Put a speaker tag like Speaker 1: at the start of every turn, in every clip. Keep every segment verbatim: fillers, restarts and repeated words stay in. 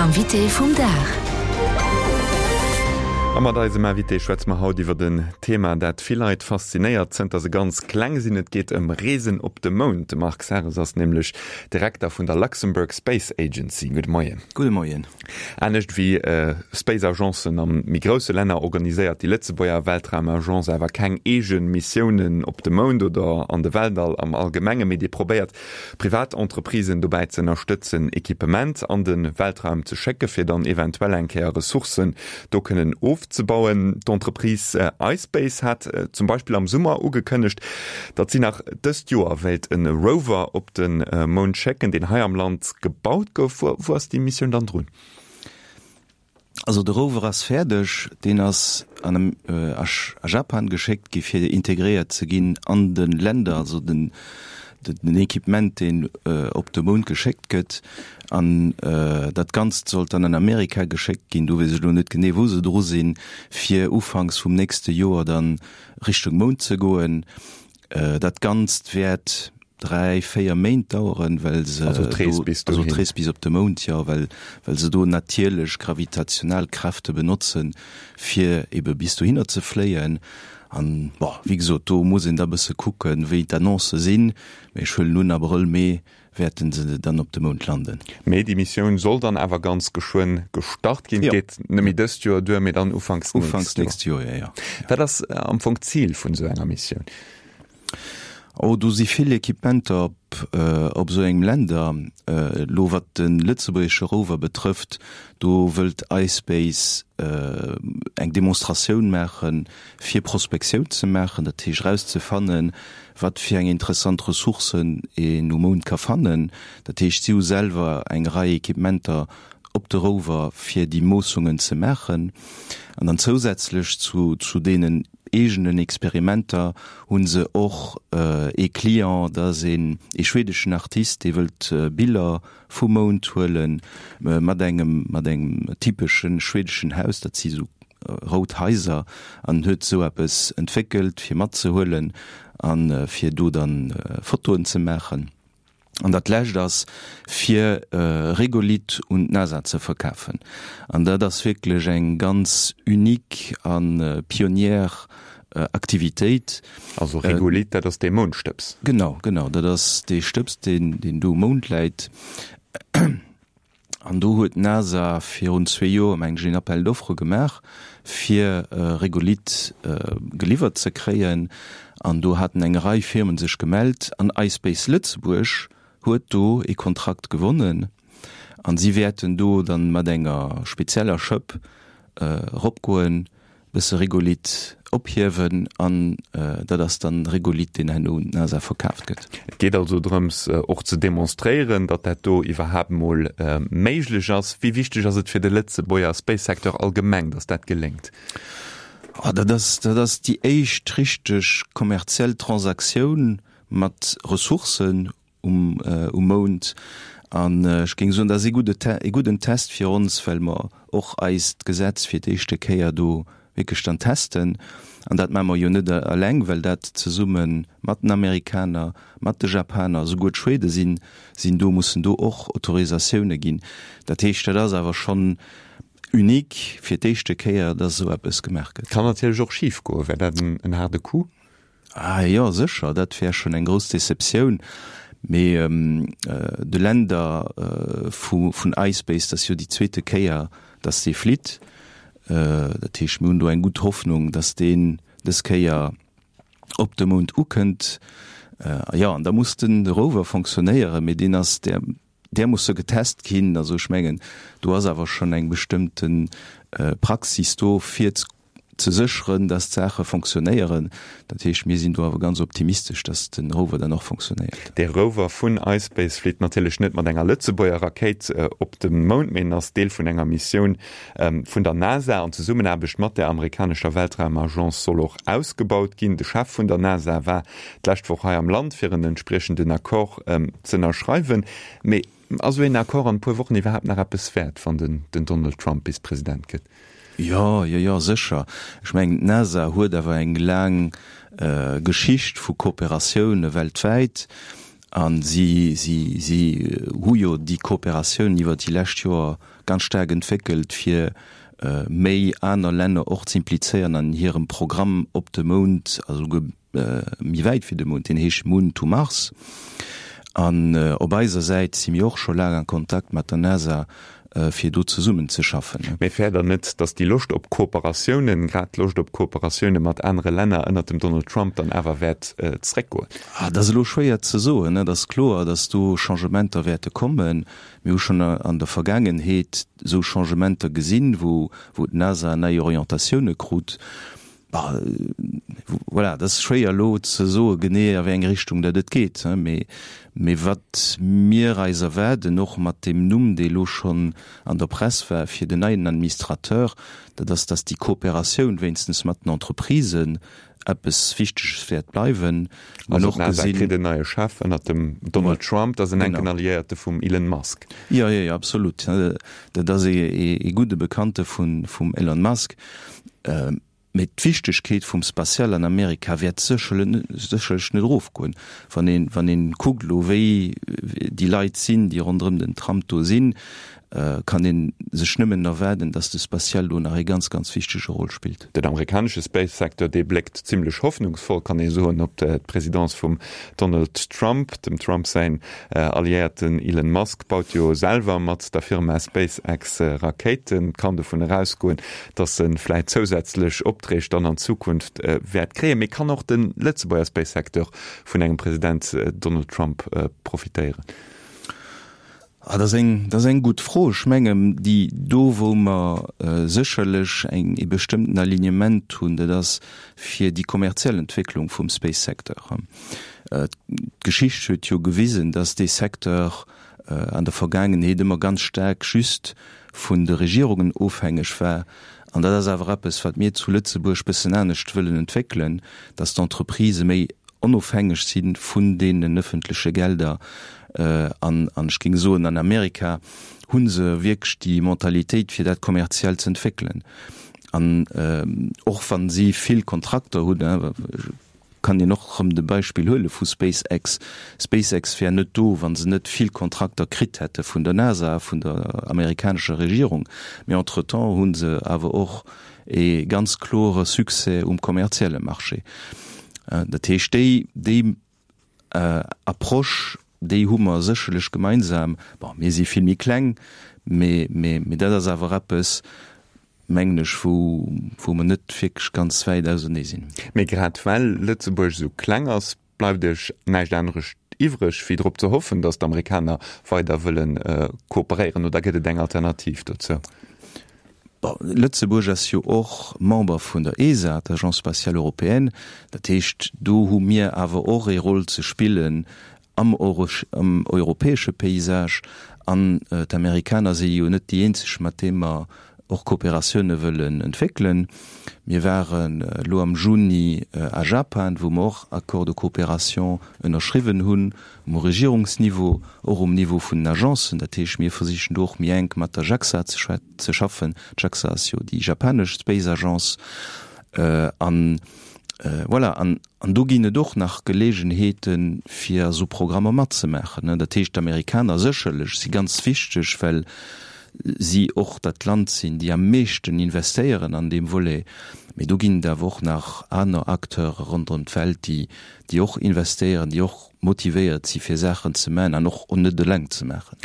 Speaker 1: Invité vum Dag.
Speaker 2: A mat eisem Invité schwätze mer haut iwwert en Thema, dat vill Leit faszinéiert, zënter se ganz kleng sinn. Et geet ëm Reesen op de Mound. De Marc Serres ass nämlech Direkter vun der Luxembourg Space Agency. Gudde Moien.
Speaker 3: Gudde Moien.
Speaker 2: Anescht wéi Space Agencen a méi grousse Länner organiséiert déi Lëtzebuerger Weltraumagence awer keng eege Missiounen op de Mound oder an de Weltall am Allgemenge, mee déi probéiert privat Entreprisen dobäi ze ënnerstëtzen, Equipement an de Weltraum ze schécke fir dann eventuell eng Kéier Ressourcen do kënnen ofzebauen. D'Entreprise iSpace hat zum Beispill am Summer ugekënnegt, datt si nach dëst Joer wéilt e Rover op de Mound schécken, deen hei am Land gebaut gouf. Wou ass déi Missioun dann drun?
Speaker 3: Also de Rover ass fäerdeg, deen ass an a Japan geschéckt gi fir integréiert ze ginn an de Länder, also den den Equipement deen op de Mound geschéckt gëtt. An dat Ganzt sollt dann an Amerika geschéckt ginn, do weess ech elo net genee wou se dru sinn, fir ufanks vum nächste Joer dann Richtung Mound ze goen. Dat Ganzt wäert dräi, véier Méint daueren, well se
Speaker 2: Also d'Rees bis
Speaker 3: also
Speaker 2: dohin.
Speaker 3: d'Rees bis op de Mound, jo, well well se do natierlech gravitational Kräfte benotzen, fir ebe bis dohinner ze fléien. An, bon, wéi gesot, do muss een da bësse kucken, wéi d'Annoncë sinn, mee ech huelen un, Abrëll, Mee wäerte se dann op de Mound landen.
Speaker 2: Mee déi Missioun soll dann awer ganz geschwënn gestart ginn.
Speaker 3: Jo.
Speaker 2: Geet net méi dëst Joer duer, mee dann ufanks nächst
Speaker 3: Ufanks
Speaker 2: Joer.
Speaker 3: nächst Joer, jo, jo.
Speaker 2: Wat ass am Fong d'Zil vun esou enger Missioun?
Speaker 3: Oh, do si vill Equipementer op, op esou engem Länder. Elo wat de lëtzebuergesche Rover betrëfft, do wëllt iSpace eng Demonstratioun maachen, fir Prospektioun ze maachen, dat heescht erauszefannen, wat fir eng interessant Ressourcen een um Mound ka fannen. Dat heescht, si hu selwer eng Rei Equipementer op de Rover, fir déi Moossungen ze maachen. An dann zousätzlech zu, zu deenen eegenen Experimenter hu se och ee Client, dat ass een ee schwedeschen Artist, dee wëllt Biller vum Mound huele mat engem, mat engem typesche schwedeschen Haus, dat si sou rout Haiser, an huet sou eppes entwéckelt fir matzehuelen a fir do dann Fotoen ze maachen. An dat lescht ass, fir Regolith un d'NASA ze verkafen. An dat ass wierklech eng ganz unique a pionnière Aktivitéit.
Speaker 2: Also Regolith, dat ass dee Moundstëbs?
Speaker 3: Genau, genau, dat ass dee Stëbs, deen, deen do um Mound läit. An do huet d'NASA virun zwee Joer, mengen ech, een Appel d'offres gemaach, fir Regolith geliwwert ze kréien. An do haten eng Rei Firmen sech gemellt an iSpace Lëtzebuerg huet do ee Kontrakt gewonnen. An si wäerten do dann mat enger spezieller Schëpp eropgoen, bësse Regolith ophiewen an dat ass dann Regolith, deen herno un d'NASA verkaaft gëtt.
Speaker 2: Et geet also drëms, och ze demonstréieren, datt dat do iwwerhaapt mol méiglech ass. Wéi wichteg ass et fir de Lëtzebuerger Space-Secteur allgemeng, datt dat geléngt?
Speaker 3: Oh, dat ass, dat ass déi éischt richteg kommerziell Transaktioun mat Ressourcen um, um Mound. An ech géing soen, dat ass ee gudde, ee gudden Test fir ons, well mer och eist Gesetz fir d'éischte Kéier do wierklech dann testen. An dat maache mer jo net eleng, well dat zesumme mat den Amerikaner, mat de Japaner, souguer d'Schwede sinn, sinn do, mussen do och Autorisatioune ginn. Dat heescht, dat ass awer schonn unique fir d'éischte Kéier, dass esou eppes gemaach gëtt.
Speaker 2: Kann natierlech och schif goen. Wär dat en haarde Coup?
Speaker 3: Ah jo, sécher, dat wär schonn eng grouss Deceptioun. Mee de Länder vun iSpace, dat ass jo déi zweete Kéier, dass dee flitt. Dat heescht, mir hunn do eng gutt Hoffnung, dass deen dës Kéier op de Mound ukënnt. Jo, an da muss de Rover fonctionnéieren, mee deen ass, där, där musse getest ginn. Also ech mengen, do ass awer schonn eng bestëmmte Praxis do, fir ze sécheren, dass d'Saache fonctionnéieren. Dat heescht, mir sinn do awer ganz optimistesch, dass de Rover dann och fonctionnéiert.
Speaker 2: De Rover vun iSpace flitt natierlech net mat enger Lëtzebuerger Rakéit op de Mound, mee en ass Deel vun enger Missioun vun der NASA an Zesummenaarbecht mat der amerikanescher Weltraumagence soll och ausgebaut ginn. De Chef vun der NASA war d'lescht Woch hei am Land, fir en entspriechenden Accord z'ënnerschreiwen. Mee ass esou een Accord an e puer Wochen iwwerhaapt nach eppes wäert, wann den Donald Trump bis President gëtt?
Speaker 3: Jo, jo, jo, sécher. Ech mengen, d'NASA huet awer eng laang Geschicht vu Kooperatioune weltwäit. A si, si, si hu jo déi Kooperatioun iwwert déi lescht Joer ganz staark entwéckelt, fir méi aner Länner och ze implizéieren an hirem Programm op de Mound, a souguer méi wäit wéi de Mound, deen heescht Moon to Mars. An op eiser Säit si mir och scho laang a Kontakt mat der NASA, fir do zesummen ze schaffen.
Speaker 2: Mee fäert Der net, datt déi Loscht op Kooperatiounen, grad d'Loscht op Kooperatioune mat anere Länner ënnert dem Donald Trump dann awer wäert zeréckgoen?
Speaker 3: Dat ass elo schwéier ze soen. Et ass kloer, datt do Changementer wäerte kommen. Mir hu schonn an der Vergaangenheet esou Changementer gesinn, wou d'NASA nei Orientatioune krut. Voilà, et ass schwéier elo ze soe genee a wéi eng Richtung dat et geet. Mee, mee wat mir eis erwaarden, och mat deem Numm, dee elo schonn an der Press war fir den neien Administrateur, dat ass, datt déi Kooperatioun wéinstens mat den Entreprisen eppes Wichteges wäert bleiwen.
Speaker 2: Also d'NASA kritt en neie Chef ënnert dem Donald Trump, dat ass en enken Alliéierte vum Elon Musk.
Speaker 3: Jo, jo, jo, absolut. Dat ass ee gudde Bekannte vum Elon Musk. Mee d'Wichtegkeet vum Spatial an Amerika wäert sécherlech net erofgoen. Wann een, wann een kuckt elo, wéi déi Leit sinn, déi ronderëm den Trump do sinn, kann ee sech nëmmen erwaarden, datt de Spatial do nach ee ganz, ganz wichtege Rôle spillt.
Speaker 2: Den amerikanesche Space-Secteur, dee bléckt zimlech hoffnungsvoll, kann ee soen, op d'Presidence vum Donald Trump. Dem Trump säin Alliéierten Elon Musk baut jo selwer mat der Firma SpaceX Rakéiten. Et kann dovun erausgoen, datt e vläit zousätzlech Opträg dann an Zukunft wäert kréien. Mee kann och de Lëtzebuerger Space-Secteur vun engem President Donald Trump profitéieren?
Speaker 3: Ah, dat ass eng, dat ass eng gutt Fro. Ech mengen, déi do, wou mer sécherlech eng, ee bestëmmten Alignement hunn, dat ass fir déi kommerziell Entwécklung vum Space-Secteur. D'Geschicht huet jo gewisen, dass dee Secteur an der Vergaangenheet ëmmer ganz staark just vun de Regierungen ofhängeg war. An dat ass awer eppes, wat mir zu Lëtzebuerg bëssen anescht wëllen entwéckelen, dass d'Entreprisë méi onofhängeg si vun deenen ëffentleche Gelder. An ech géing soen, an Amerika hu se wierklech déi Mentalitéit, fir dat kommerziell ze entwéckelen. An och wa si vill Kontrakter hunn, kann een och erëm de Beispill huele vu SpaceX. SpaceX wär net do, wa se net vill Kontrakter kritt hätte vun der NASA, vun der amerikanescher Regierung. Mee entretemps hu se awer och e ganz klore Succès um kommerzielle Marché. Dat heescht, déi, déi Approche, déi hu mer sécherlech gemeinsam. Bon, mir si vill méi kleng, mee, mee, mee dat ass awer eppes, mengen ech, wou, wou mer net wierklech ganz wäit ausernee sinn.
Speaker 2: Mee grad well Lëtzebuerg esou kleng ass, bleift Iech näischt anerescht iwwreg, wéi drop ze hoffen, datt d'Amerikaner weider wëlle kooperéieren. Oder gëtt et eng Alternativ dozou?
Speaker 3: Bon, Lëtzebuerg ass jo och Member vun der ESA, der Agence spatiale européenne. Dat heescht, do hu mir awer och ee Rôle ze spillen am europäesche Paysage. An d'Amerikaner si jo net déi eenzeg, mat deem mer och Kooperatioune wëllen entwéckelen. Mir waren elo am Juni a Japan, wou mer och Accords de coopération ënnerschriwwen hunn, um Regierungsniveau, och um Niveau vun den Agencen. Dat heescht, mir versichen do och méi enk mat der JAXA ze schaffen. D'JAXA ass jo déi japanesch Space Agence. An voilà, an do ginn et och nach Geleegenheeten, fir a sou Programmer matzemaachen. Dat heescht, d'Amerikaner sécherlech si ganz wichteg, well si och dat Land sinn, déi am meeschten investéieren an deem Volet. Mee do ginn et awer och nach aner Acteure ronderëm d'Welt, déi, déi och investéieren, déi och motivéiert si fir Saachen ze maachen an och net eleng ze maachen.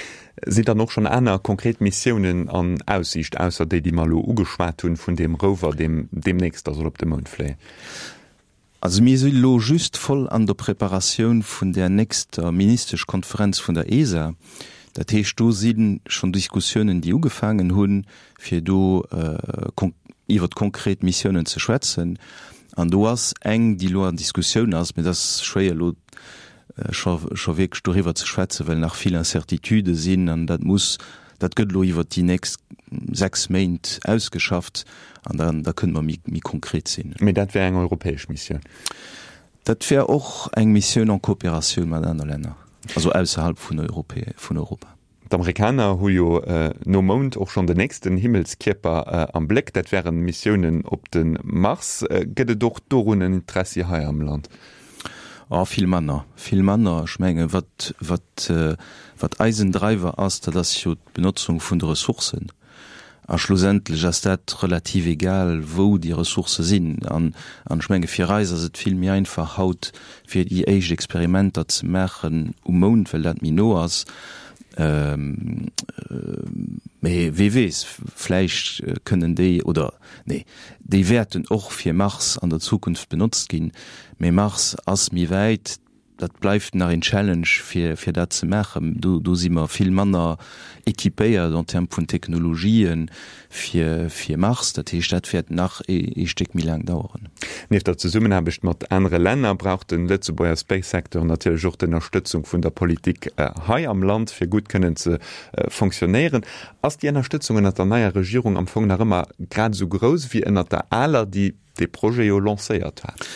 Speaker 2: Sinn dann och schonn aner konkret Missiounen an Aussiicht, ausser déi, déi mer elo ugeschwat hunn, vun deem Rover, deem deemnächst da soll op de Mound fléien?
Speaker 3: Also mir si lo just voll an der Preparatioun vun där nächster Ministeschkonferenz vun der ESA. Dat heescht, do si schonn Diskussiounen, déi ugefaangen hunn, fir do iwwert konkret Missiounen ze schwätzen. An do ass eng, déi elo an Diskussioun ass, mee dat ass schwéier elo scho scho wierklech doriwwer ze schwätzen, well nach vill Incertitudë sinn an dat muss, dat gëtt elo iwwert déi nächst sechs Méint ausgeschafft an dann da kënne mer méi méi konkret sinn.
Speaker 2: Mee dat wär eng europäesch Missioun?
Speaker 3: Dat wär och eng Missioun en Coopératioun mat aner Länner, also ausserhalb vun Europä vun Europa.
Speaker 2: D'Amerikaner hu jo nom Mound och schonn den nächsten Himmelskierper am Bléck, dat wären Missiounen op de Mars. Gëtt et och dorun en Interessi hei am Land?
Speaker 3: Oh, vill manner, vill manner. Ech menge wat, wat, äh, wat eisen Driver ass, dat ass jo d'Benotzung vun de Ressourcen. A schlussendlech ass dat relativ egal, wou déi Ressourcë sinn. An, an ech menge fir eis ass et vill méi einfach haut, fir déi éischt Experimenter ze maachen um Mound, well dat méi no ass. Ähm, äh, mee wie weess, vläicht äh, kënnen déi oder nee, déi wäerten och fir Mars an der Zukunft benotzt ginn. Mee Mars ass méi wäit, dat bleift nach en Challenge fir fir dat ze maachen. Do, do si mer vill manner equipéiert en Terme vun Technologien fir fir Mars. Dat heescht, dat wäert nach e, e Stéck méi laang daueren.
Speaker 2: Nieft der Zesummenaarbecht mat anere Länner brauch de Lëtzebuerger Space-Secteur natierlech och d'Ënnerstëtzung vun der Politik äh, hei am Land fir gutt kënnen ze äh, fonctionnéieren. Ass déi Ënnerstëtzung ënnert der neier Regierung am Fong nach ëmmer grad esou grouss wéi ënnert der aler, déi de Projet jo lancéiert hat?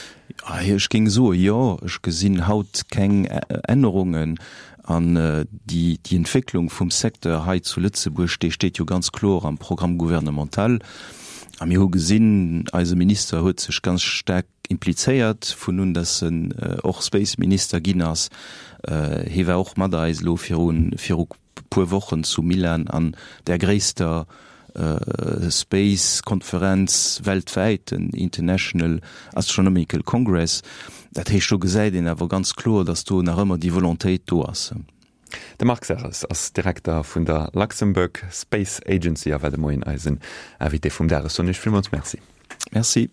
Speaker 3: Ech géing soe jo, ech gesinn haut keng Ännerungen an déi déi Entwécklung vum Secteur hei zu Lëtzebuerg, déi steet jo ganz kloer am Programme gouvernemental. A mir hu gesinn, eise Minister huet sech ganz staark implizéiert vun un datt en och Space Minister ginn ass. Hie war och mat eis elo virun viru puer Wochen zu Milan an der gréisster Space Konferenz weltwäit, den International Astronomical Congress. Dat heescht, do gesäit een awer ganz kloer, datt do nach ëmmer déi Volontéit do ass.
Speaker 2: De Marc Serres ass Direkter vun der Luxembourg Space Agency a war de Moien eisen Invité vum Dag. Ech soen Iech villmools Merci.
Speaker 3: Merci.